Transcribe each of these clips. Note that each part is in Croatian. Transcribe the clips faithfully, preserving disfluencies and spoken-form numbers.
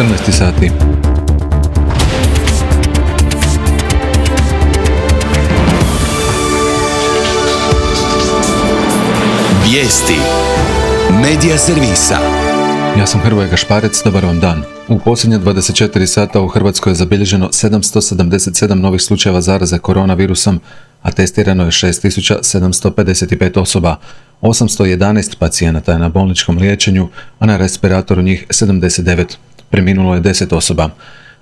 četrnaest sati. Vijesti Medija servisa. Ja sam Hrvoje Gašparec, dobar vam dan. U posljednje dvadeset četiri sata u Hrvatskoj je zabilježeno sedamsto sedamdeset sedam novih slučajeva zaraze koronavirusom, a testirano je šest tisuća sedamsto pedeset pet osoba. osamsto jedanaest pacijenata je na bolničkom liječenju, a na respiratoru njih sedamdeset devet. Preminulo je deset osoba.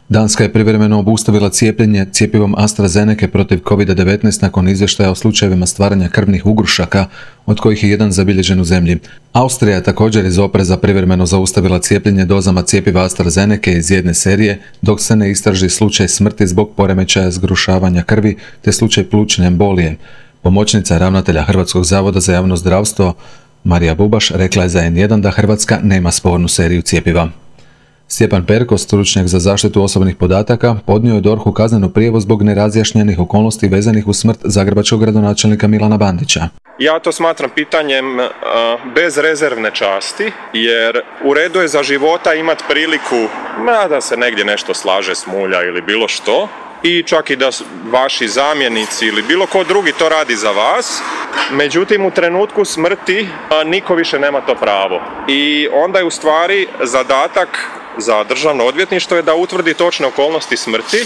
Danska je privremeno obustavila cijepljenje cjepivom AstraZeneca protiv kovid devetnaest nakon izvještaja o slučajevima stvaranja krvnih ugrušaka, od kojih je jedan zabilježen u zemlji. Austrija je također iz opreza privremeno zaustavila cijepljenje dozama cjepiva AstraZeneca iz jedne serije, dok se ne istraži slučaj smrti zbog poremećaja zgrušavanja krvi te slučaj plućne embolije. Pomoćnica ravnatelja Hrvatskog zavoda za javno zdravstvo Marija Bubaš rekla je za en jedan da Hrvatska nema spornu seriju cjepiva. Stjepan Perko, stručnjak za zaštitu osobnih podataka, podnio je dorhu kaznenu prijavu zbog nerazjašnjenih okolnosti vezanih uz smrt zagrebačkog gradonačelnika Milana Bandića. Ja to smatram pitanjem uh, bezrezervne časti, jer u redu je za života imati priliku ma, da se negdje nešto slaže, smulja ili bilo što, i čak i da vaši zamjenici ili bilo ko drugi to radi za vas. Međutim, u trenutku smrti uh, niko više nema to pravo. I onda je u stvari zadatak za državno odvjetništvo je da utvrdi točne okolnosti smrti.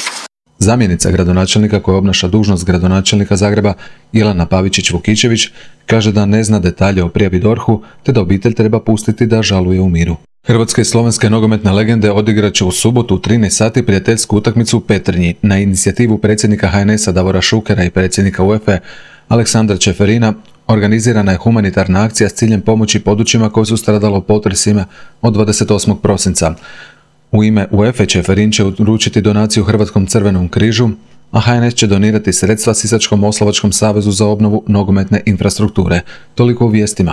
Zamjenica gradonačelnika koja obnaša dužnost gradonačelnika Zagreba, Jelena Pavičić-Vukičević, kaže da ne zna detalje o prijavi dorhu, te da obitelj treba pustiti da žaluje u miru. Hrvatske i slovenske nogometne legende odigrat će u subotu u trinaest sati prijateljsku utakmicu u Petrinji. Na inicijativu predsjednika ha en es-a Davora Šukera i predsjednika u e fe Aleksandra Čeferina organizirana je humanitarna akcija s ciljem pomoći područjima koje su stradalo u potresima od dvadeset osmog prosinca. U ime u e fe Čeferin će uručiti donaciju Hrvatskom crvenom križu, a ha en es će donirati sredstva Sisačko-moslavačkom savezu za obnovu nogometne infrastrukture. Toliko u vijestima.